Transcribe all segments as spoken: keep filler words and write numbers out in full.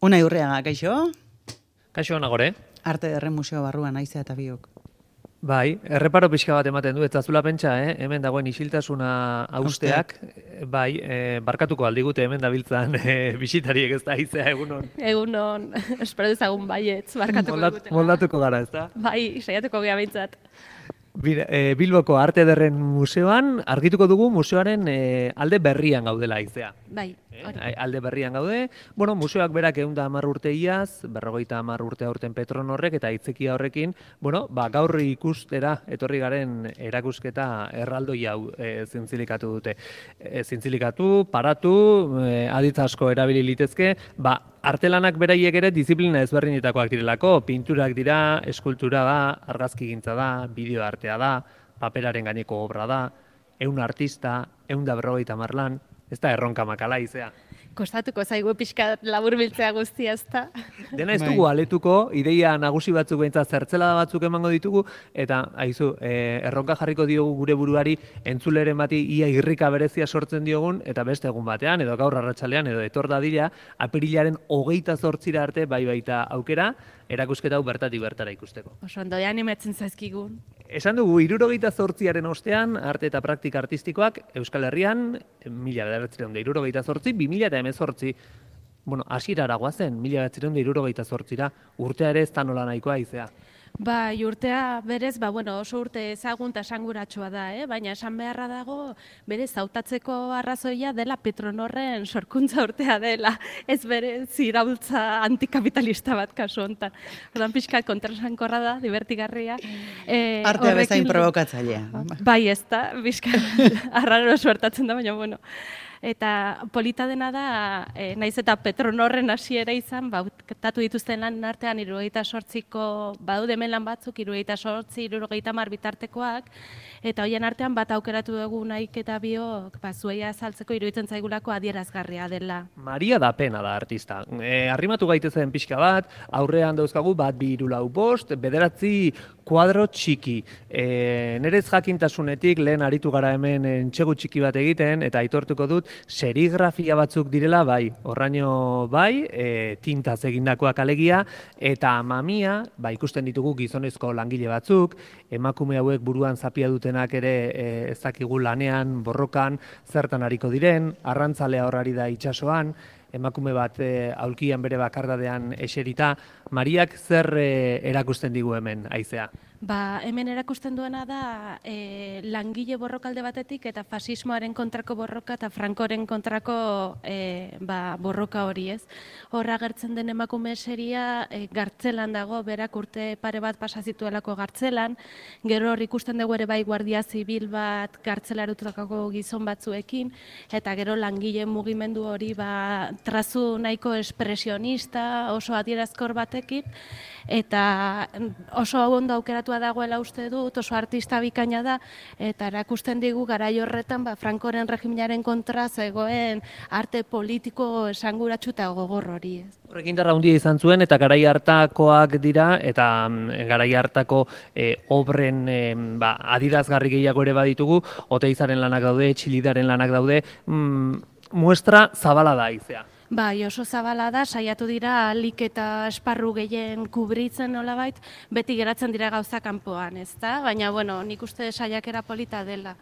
Unai Urriaga, kaixo? Kaixo nagore. Arte Ederren Museo barruan aizea eta biok. Bai, erreparo pixka bat ematen du, ez zazula pentsa, eh? Hemen dagoen isiltasuna hausteak, bai, eh, barkatuko aldigute hemen dabiltzan eh, bisitariek ez da aizea egunon. Egunon, espero dezagun baietz, barkatuko Moldat, digutela. moldatuko gara, ez da? Bai, saiatuko gea behintzat. Bira, e, Bilboko Arte Ederren Museoan argituko dugu museoaren e, alde berrian gaudela aizea. Bai, hori. E, alde berrian gaude. Bueno, museoak berak ehun eta hamar urte iaz, berrogeita hamar urte aurten Petronorrek eta hitzekia horrekin, bueno, ba, gaur ikustera etorri garen erakusketa erraldoi hau e, zintzilikatu dute. E, zintzilikatu, paratu, e, aditz asko erabili litezke, ba, artelanak beraiek ere disiplina ezberdinetakoak direlako, pinturak dira, eskultura da, argazkigintza da, bideo artea da, paperaren gaineko obra da, ehun artista, ehun da berrogeita hamar lan, ez da erronka makala izea. Kostatuko zaigu pixka labur biltzea guztia, ezta? Dena ez dugu aletuko, ideia nagusi batzuk behintzat zertzelada batzuk emango ditugu, eta haizu, e, erronka jarriko diogu gure buruari entzuleren bati ia irrika berezia sortzen diogun, eta beste egun batean, edo gaur arratsalean, edo etor dadila, apirilaren hogeita zortzira arte bai baita aukera, erakusketa hau bertatik bertara ikusteko. Oso ondo, animatzen zaizkigun. Esan dugu, hirurogeita zortziaren ostean, arte eta praktika artistikoak Euskal Herrian, mila bederatziehun eta hirurogeita zortzi, bi mila eta hemezortzi, bueno, hasierara goazen, mila bederatziehun eta hirurogeita zortzira, urtea ere ez da nola nahikoa izea. Ba, urtea berez, ba, bueno, oso urte ezagun eta esanguratsua da, eh? Baina esan beharra dago, berez, hautatzeko arrazoia dela Petronorren sorkuntza urtea dela, ez berez iraultza antikapitalista bat kasu honetan. Ordan pixkat kontrasankorra da, divertigarria. E, Artea bezain provokatzailea. Bai, ez da, pixkat arraro suertatzen da, baina, bueno. Eta polita dena da, e, naiz eta Petronorren hasiera izan, bautatu dituzten lan artean hirurogeita zortziko, badaude hemen lan batzuk, hirurogeita zortzi, hirurogeita hamar bitartekoak, eta hoien artean bat aukeratu dugu naik eta biok, ba, zueia azaltzeko iruditzen zaigulako adierazgarria dela. Maria da pena da artista. E, arrimatu gaitezen pixka bat, aurrean dauzkagu bat bi hiru lau bost, bederatzi kuadro txiki. E, nerez jakintasunetik lehen aritu gara hemen entxegu txiki bat egiten, eta aitortuko dut, serigrafia batzuk direla, bai, horraino bai, e, tintaz egindakoak alegia, eta mamia, ba, ikusten ditugu gizonezko langile batzuk, emakume hauek buruan zapia dutenak ere e, ez dakigu lanean, borrokan, zertan ariko diren, arrantzalea horrari da itsasoan, emakume bat e, aulkian bere bakardadean eserita. Mariak zer e, erakusten digu hemen, aizea? Ba, hemen erakusten duena da e, langile borrokalde batetik eta fasismoaren kontrako borroka eta Frankoren kontrako e, ba, borroka hori, ez. Horra agertzen den emakume seria e, gartzelan dago, berak urte pare bat pasa zituelako gartzelan, gero hor ikusten dugu ere bai guardia zibil bat gartzelarutako gizon batzuekin, eta gero langile mugimendu hori ba, trazu nahiko espresionista, oso adierazkor batekin, eta oso ondo aukeratua dagoela uste dut, oso artista bikaina da, eta erakusten digu garai horretan ba, Frankoren regimenaren kontra zegoen arte politiko esanguratsu eta gogor hori. Ez. Horrekin darra handia izan zuen, eta garai hartakoak dira, eta mm, garai hartako e, obren e, ba, adirazgarri gehiago ere baditugu, Oteizaren lanak daude, Txilidaren lanak daude, mm, muestra zabala da aizea. Bai, oso zabala da, saiatu dira alik eta esparru gehien kubritzen nolabait, beti geratzen dira gauza kanpoan, ezta? Baina, bueno, nik uste saiakera polita dela.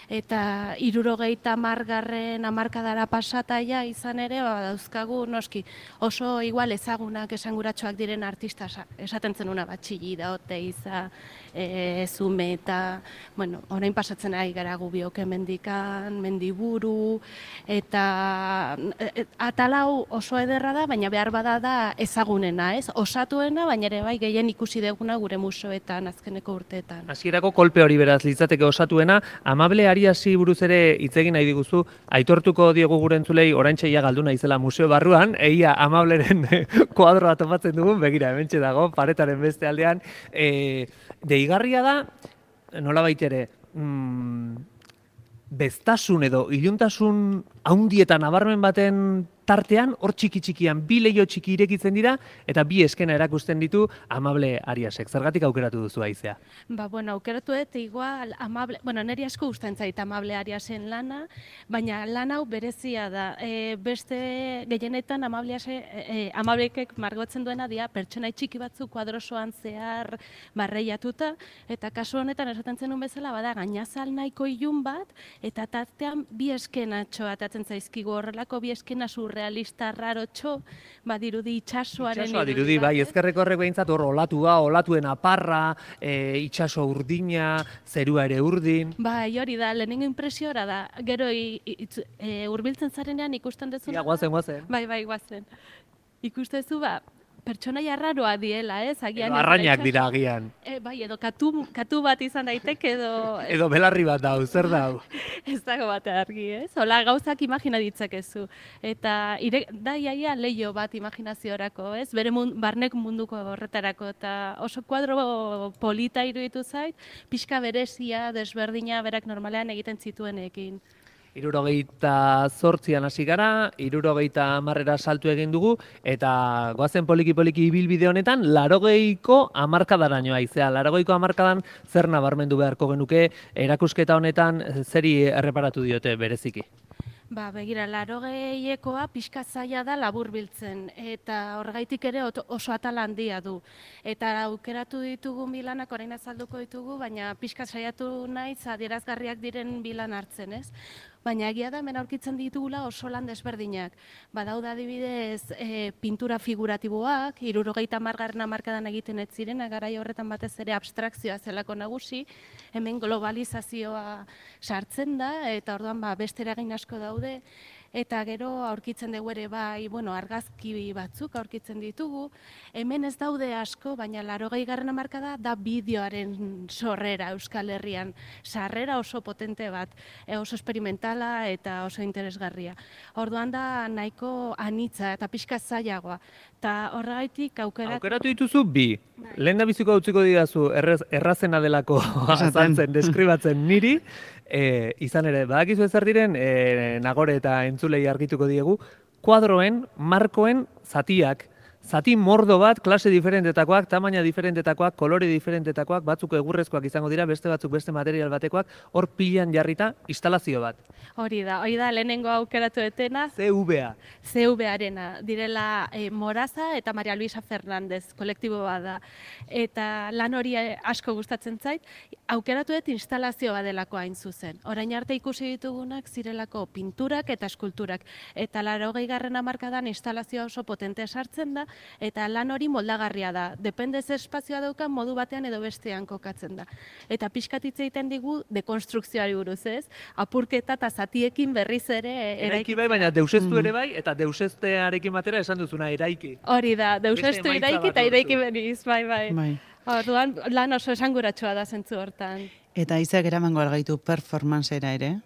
Eta hirurogeita hamargarren hamarkadara pasataia izan ere, ba, dauzkagu noski oso igual ezagunak esanguratsuak diren artista esaten zenuna bat Txili da, Oteiza, e, Zume eta, bueno, orain pasatzen ari gara gubiok mendikan, Mendiburu, eta e, atalau oso ederra da, baina behar bada da ezagunena, ez? Osatuena, baina ere bai gehien ikusi deguna gure museoetan azkeneko urteetan. Hasierako kolpe hori beraz litzateke osatuena, amable Ariasi buruz ere hitz egin nahi diguzu, aitortuko diegu gure entzulei oraintxe ja galdu naizela museo barruan, eia Amableren kuadroa topatzen dugun, begira, hementxe dago, paretaren beste aldean. E, deigarria da, nolabait ere, mm, beztasun edo iluntasun haundietan nabarmen baten tartean, hor txiki-txikian, bi leio txiki irekitzen dira, eta bi eskena erakusten ditu Amable Ariasek. Zergatik aukeratu duzu Aizea? Ba, bueno, aukeratu dut igual Amable, bueno, niri asko gustatzen zait Amable Ariasen lana, baina lan hau berezia da. E, beste gehienetan Amable Ariase, e, Amablekek margotzen duena dira pertsonai txiki batzu kuadrosoan zehar barreiatuta, eta kasu honetan esaten zenun bezala bada gainazal nahiko ilun bat, eta tartean bi eskenatxo atatzen zaizkigu horrelako bi eskena surrealista rarotxo, badirudi itxasoaren Itxasoa dirudi, bai, ezkerreko horrek behintzat hor olatua, olatuen aparra, e, itxaso urdina, zerua ere urdin. Bai, hori da, lehenengo impresiora da, gero i, i, e, urbiltzen zarenean ikusten duzu. Ja, guazen, guazen. Bai, bai, guazen. Ikusten duzu, ba, pertsonaia arraroa diela, ez? Agian Edo arrainak dira agian. E, bai, edo katu, katu bat izan daiteke, edo... Edo belarri bat dau, zer dau? Ez dago bat argi, ez? Hola gauzak imagina ditzakezu. Eta ire, da iaia leio bat imaginaziorako, ez? Bere mund, barnek munduko horretarako. Eta oso kuadro polita iruditu zait, pixka berezia, desberdina, berak normalean egiten zituenekin. Hirurogeita zortzian hasi gara, hirurogeita hamarrera saltu egin dugu, eta goazen poliki-poliki ibilbide honetan, larogeiko hamarkadaraino Aizea. Larogeiko hamarkadan zer nabarmendu beharko genuke, erakusketa honetan zeri erreparatu diote bereziki? Ba, begira, larogeiekoa pixka zaila da laburbiltzen, eta horregaitik ere oso atal handia du. Eta aukeratu ditugu bilanak, orain azalduko ditugu, baina pixka saiatu naiz adierazgarriak diren bilan hartzen, ez? Baina egia da, hemen aurkitzen ditugula oso lan desberdinak. Badaude adibidez e, pintura figuratiboak, hirurogeita hamargarren hamarkadan egiten ez ziren, garai horretan batez ere abstrakzioa zelako nagusi, hemen globalizazioa sartzen da, eta orduan ba, beste eragin asko daude, eta gero aurkitzen dugu ere bai, bueno, argazki batzuk aurkitzen ditugu. Hemen ez daude asko, baina laurogei garren hamarkada da bideoaren sorrera Euskal Herrian. Sarrera oso potente bat, e, oso experimentala eta oso interesgarria. Orduan da nahiko anitza eta pixka zailagoa. Eta horregaitik aukeratu... Aukeratu dituzu bi. Lehen da biziko utziko didazu errez, errazena delako azaltzen, deskribatzen niri, e, izan ere, badakizu ezer diren, e, Nagore eta entzulei argituko diegu, kuadroen, markoen zatiak, zati mordo bat, klase diferentetakoak, tamaina diferentetakoak, kolore diferentetakoak, batzuk egurrezkoak izango dira, beste batzuk beste material batekoak, hor pilan jarrita instalazio bat. Hori da, hori da lehenengo aukeratu etena. C V A. C V A-arena, direla e, Moraza eta Maria Luisa Fernández, kolektibo bat da. Eta lan hori asko gustatzen zait, aukeratu dut instalazio bat delako hain zuzen. Orain arte ikusi ditugunak zirelako pinturak eta eskulturak. Eta laurogei garren hamarkadan instalazioa oso potente sartzen da, eta lan hori moldagarria da. Depende ze espazioa daukan modu batean edo bestean kokatzen da. Eta pixkat hitz egiten digu dekonstrukzioari buruz, ez? Apurketa eta zatiekin berriz ere eraiki. Eraiki bai, baina deuseztu ere bai, eta deuseztearekin batera esan duzuna eraiki. Hori da, deuseztu eraiki eta eraiki beniz, bai, bai. Bai. Orduan, lan oso esanguratsua da zentzu hortan. Eta Aizeak eramango algaitu performancera ere?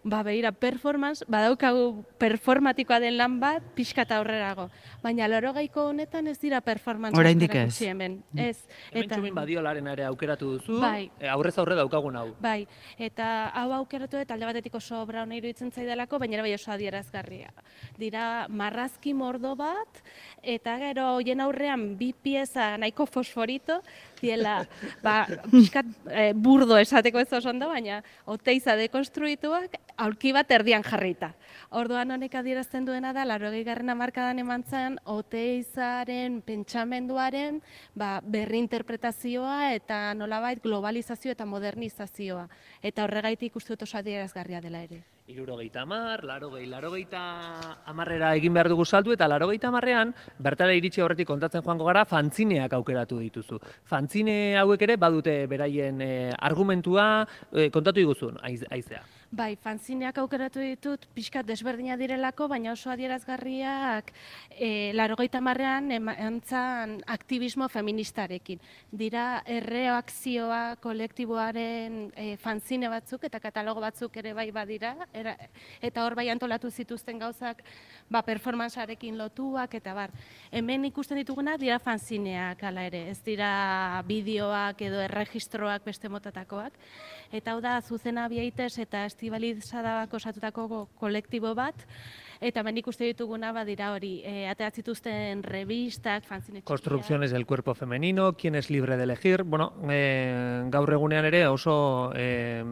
Ba, behira, performance, badaukagu performatikoa den lan bat, pixka eta aurrerago. Baina laurogeiko honetan ez dira performance. Oraindik ez. Hemen, ez. Hemen txumin badiolaren ere aukeratu duzu, bai. e, aurrez aurre daukagun hau. Bai, eta hau aukeratu dut alde batetik oso obra hona iruditzen zaidalako, baina bai oso adierazgarria. Dira marrazki mordo bat, eta gero hoien aurrean bi pieza nahiko fosforito, diela, ba, pixkat e, burdo esateko ez oso ondo, baina oteiza dekonstruituak, aurki bat erdian jarrita. Orduan honek adierazten duena da, laurogei garren hamarkadan eman zen, oteizaren pentsamenduaren ba, berrinterpretazioa eta nolabait globalizazio eta modernizazioa. Eta horregaitik uste dut oso adierazgarria dela ere. Hirurogeita hamar, larogei, larogeita hamarrera egin behar dugu saltu, eta larogeita hamarrean, bertara iritsi horretik kontatzen joango gara, fantzineak aukeratu dituzu. Fantzine hauek ere badute beraien e, argumentua, e, kontatu diguzun, Aizea. Bai, fanzineak aukeratu ditut, pixkat desberdina direlako, baina oso adierazgarriak e, larogeita hamarrean emantzan aktivismo feministarekin. Dira erreakzioa kolektiboaren e, fanzine batzuk eta katalogo batzuk ere bai badira, era, eta hor bai antolatu zituzten gauzak ba, performancearekin lotuak eta bar. Hemen ikusten dituguna dira fanzineak hala ere, ez dira bideoak edo erregistroak beste motatakoak. Eta hau da, Zuzena Biaites eta Estibaliz Sadabak osatutako kolektibo bat, Eta hemen ikuste dituguna badira hori, e, aterat zituzten revistak, fanzine txikiak. Construcciones del cuerpo femenino, quién es libre de elegir, bueno, e, gaur egunean ere oso e,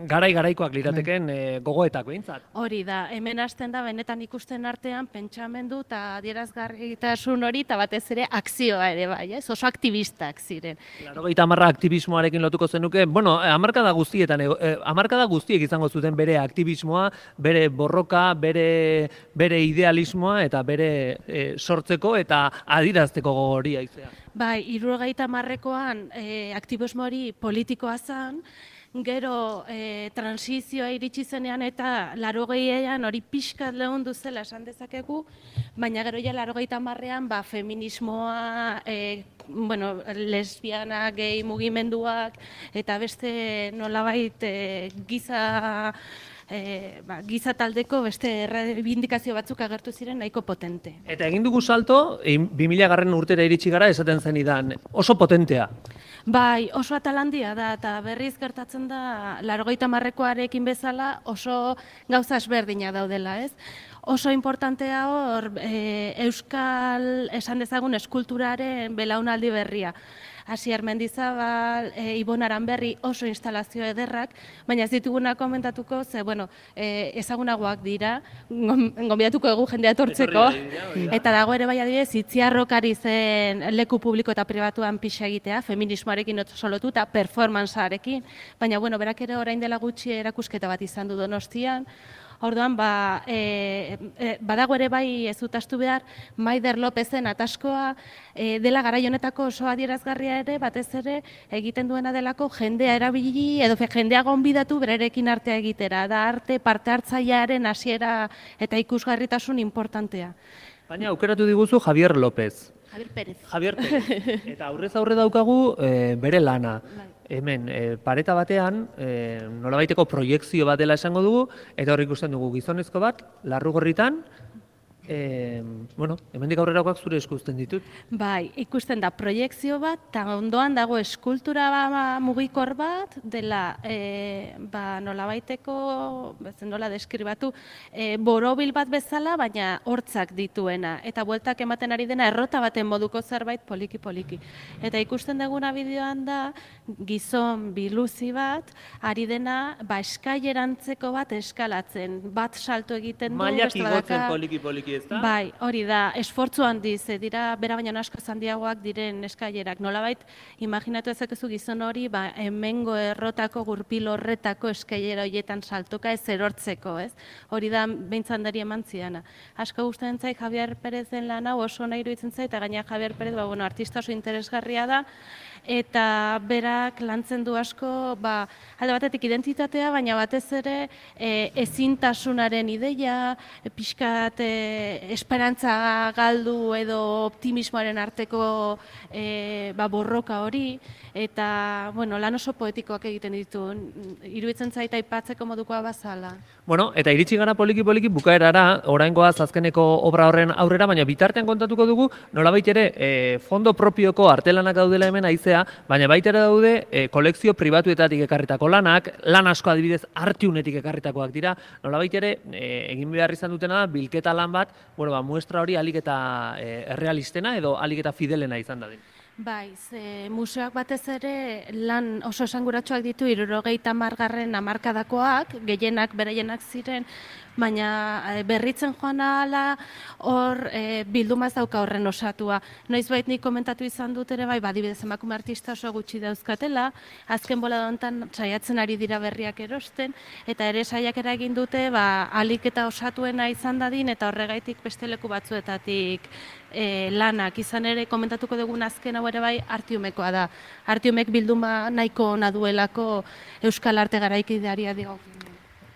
garai-garaikoak lirateken e, gogoetak behintzat. Hori da, hemen hasten da, benetan ikusten artean, pentsamendu eta adierazgarritasun hori, eta batez ere akzioa ere bai, ez? Oso aktivistak ziren. Laurogeita hamarra aktivismoarekin lotuko zenuke, bueno, hamarkada guztietan, e, hamarkada guztiek izango zuten bere aktivismoa, bere borroka, bere, bere idealismoa eta bere e, sortzeko eta adirazteko gogoria izea. Bai, hirurogeita hamarrekoan e, aktivismo hori politikoa zen, gero e, transizioa iritsi zenean eta larogeian hori pixkat lehundu zela esan dezakegu, baina gero ja larogeita hamarrean ba, feminismoa, e, bueno, lesbiana, gay mugimenduak eta beste nolabait e, giza E, ba, giza taldeko beste errebindikazio batzuk agertu ziren nahiko potente. Eta egin dugu salto, bi mila garren urtera iritsi gara esaten zenidan, oso potentea. Bai, oso atalandia da, eta berriz gertatzen da, laurogeita hamarrekoarekin bezala oso gauza ezberdina daudela, ez? Oso importantea hor, e, euskal, esan dezagun, eskulturaren belaunaldi berria. Asier Mendizabal, e, Ibon Aranberri oso instalazio ederrak, baina ez dituguna komentatuko, ze, bueno, e, ezagunagoak dira, gonbidatuko egu jendea etortzeko, eta dago ere bai adibidez, Itziarrok ari zen leku publiko eta pribatuan pixa egitea, feminismoarekin oso lotu eta performancearekin, baina, bueno, berak ere orain dela gutxi erakusketa bat izan du Donostian. Orduan, ba, e, e, badago ere bai ez utastu behar, Maider Lopezen ataskoa e, dela garai honetako oso adierazgarria ere, batez ere egiten duena delako jendea erabili edo jendea gonbidatu bererekin artea egitera. Da arte parte hartzailearen hasiera eta ikusgarritasun importantea. Baina aukeratu diguzu Javier López. Javier Pérez. Javier Pérez. Eta aurrez aurre daukagu e, bere lana. Hemen, e, pareta batean, e, nolabaiteko proiekzio bat dela esango dugu, eta hor ikusten dugu gizonezko bat, Larrugorritan, e, bueno, hemendik aurrerakoak zure esku uzten ditut. Bai, ikusten da proiekzio bat, eta ondoan dago eskultura ba, mugikor bat, dela e, ba, nolabaiteko, bezen nola deskribatu, e, borobil bat bezala, baina hortzak dituena, eta bueltak ematen ari dena errota baten moduko zerbait poliki-poliki. Eta ikusten duguna bideoan da, gizon biluzi bat, ari dena, ba, eskailerantzeko bat eskalatzen, bat salto egiten du, mailak igotzen poliki-poliki. Bai, hori da, esfortzu handiz, dira bera baino asko handiagoak diren eskailerak. Nolabait, imaginatu ezakezu gizon hori, ba, hemengo errotako gurpil horretako eskailera horietan saltoka ez erortzeko, ez? Hori da, behintzandari eman ziana. Asko gustatzen zait Javier Perezen lan hau oso nahi iruditzen zait, eta gaina Javier Perez, ba, bueno, artista oso interesgarria da, eta berak lantzen du asko, ba, alde batetik identitatea, baina batez ere e, ezintasunaren ideia, e, pixkat e, esperantza galdu edo optimismoaren arteko e, ba, borroka hori, eta bueno, lan oso poetikoak egiten ditu, iruditzen zait aipatzeko modukoa bazala. Bueno, eta iritsi gara poliki-poliki bukaerara, oraingoaz azkeneko obra horren aurrera, baina bitartean kontatuko dugu, nolabait ere, e, fondo propioko artelanak daudela hemen aizea, baina baita ere daude e, kolekzio pribatuetatik ekarritako lanak, lan asko adibidez Artiunetik ekarritakoak dira, nolabait ere e, egin behar izan dutena da, bilketa lan bat, bueno, ba, muestra hori alik eta e, errealistena edo alik eta fidelena izan dadin. Bai, ze museoak batez ere lan oso esanguratsuak ditu hirurogeita hamargarren hamarkadakoak, gehienak beraienak ziren, baina berritzen joan ahala hor e, bildumaz dauka horren osatua. Noizbait nik komentatu izan dut ere bai, badibidez emakume artista oso gutxi dauzkatela, azken bolada honetan saiatzen ari dira berriak erosten, eta ere saiakera egin dute ba, alik eta osatuena izan dadin, eta horregaitik beste leku batzuetatik e, lanak. Izan ere komentatuko dugun azken hau ere bai Artiumekoa da. Artiumek bilduma nahiko ona duelako Euskal Arte garaikideari dio.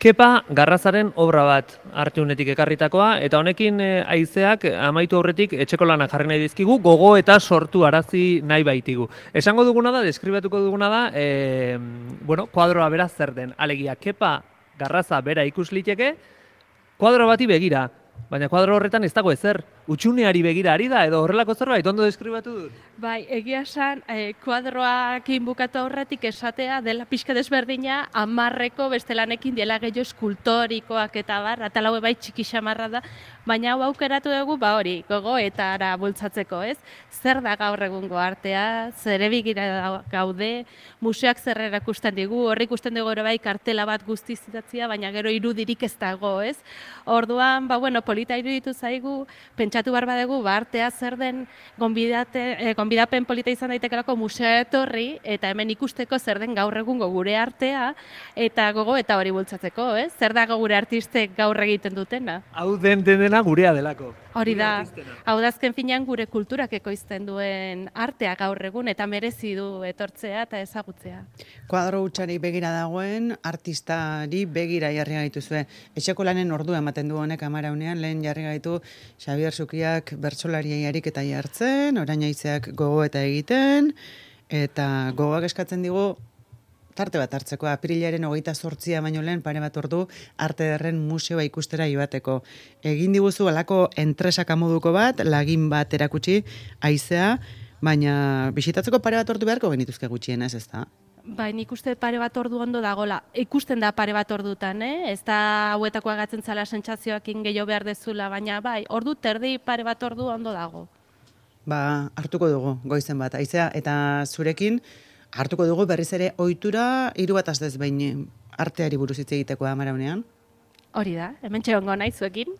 Kepa Garrazaren obra bat Artiunetik ekarritakoa, eta honekin e, haizeak amaitu aurretik etxeko lanak jarri nahi dizkigu, gogo eta sortu arazi nahi baitigu. Esango duguna da, deskribatuko duguna da, e, bueno, kuadroa bera zer den. Alegia, Kepa Garraza bera ikus liteke, kuadro bati begira. Baina kuadro horretan ez dago ezer. Utxuneari begira ari da, edo horrelako zerbait, ondo deskribatu dut? Bai, egia esan, eh, kuadroakin bukatu aurretik esatea dela pixka desberdina, amarreko beste lanekin dela gehiago eskultorikoak eta bar, atalaue bai txiki xamarra da, baina hau aukeratu dugu, ba hori, gogoetara bultzatzeko, ez? Zer da gaur egungo artea, zer ebigira gaude, museoak zer erakusten digu, horri ikusten dugu ere bai kartela bat guztiz idatzia, baina gero irudirik ez dago, ez? Orduan, ba bueno, polita iruditu zaigu, pentsatu behar badegu, ba artea zer den gonbidate, eh, gonbidapen polita izan daitekelako musea etorri, eta hemen ikusteko zer den gaur egungo gure artea, eta gogo eta hori bultzatzeko, ez? Zer da gure artistek gaur egiten dutena? Hau den dena gurea delako. Hori Gure da, artistena. hau da azken finean gure kulturak ekoizten duen artea gaur egun, eta merezi du etortzea eta ezagutzea. Kuadro hutsari begira dagoen, artistari begira jarri gaituzue. Etxeko lanen ordua ematen du honek amaraunean, lehen jarri gaitu Xabier Sukiak bertsolariei ariketa jartzen, orain aizeak gogo eta egiten, eta gogoak eskatzen digu tarte bat hartzeko, apirilaren hogeita zortzia baino lehen pare bat ordu arte derren museoa ikustera joateko. Egin diguzu alako entresaka moduko bat, lagin bat erakutsi, haizea, baina bisitatzeko pare bat ordu beharko genituzke gutxienez, ez da? Bai, nik uste pare bat ordu ondo dagola. Ikusten da pare bat ordutan, eh? Ez da hauetako agatzen zala sentsazioakin gehiago behar dezula, baina bai, ordu terdi pare bat ordu ondo dago. Ba, hartuko dugu, goizen bat, haizea, eta zurekin, hartuko dugu berriz ere ohitura hiru bat astez behin arteari buruz hitz egiteko amaraunean. Hori da, hemen txegongo naiz zuekin.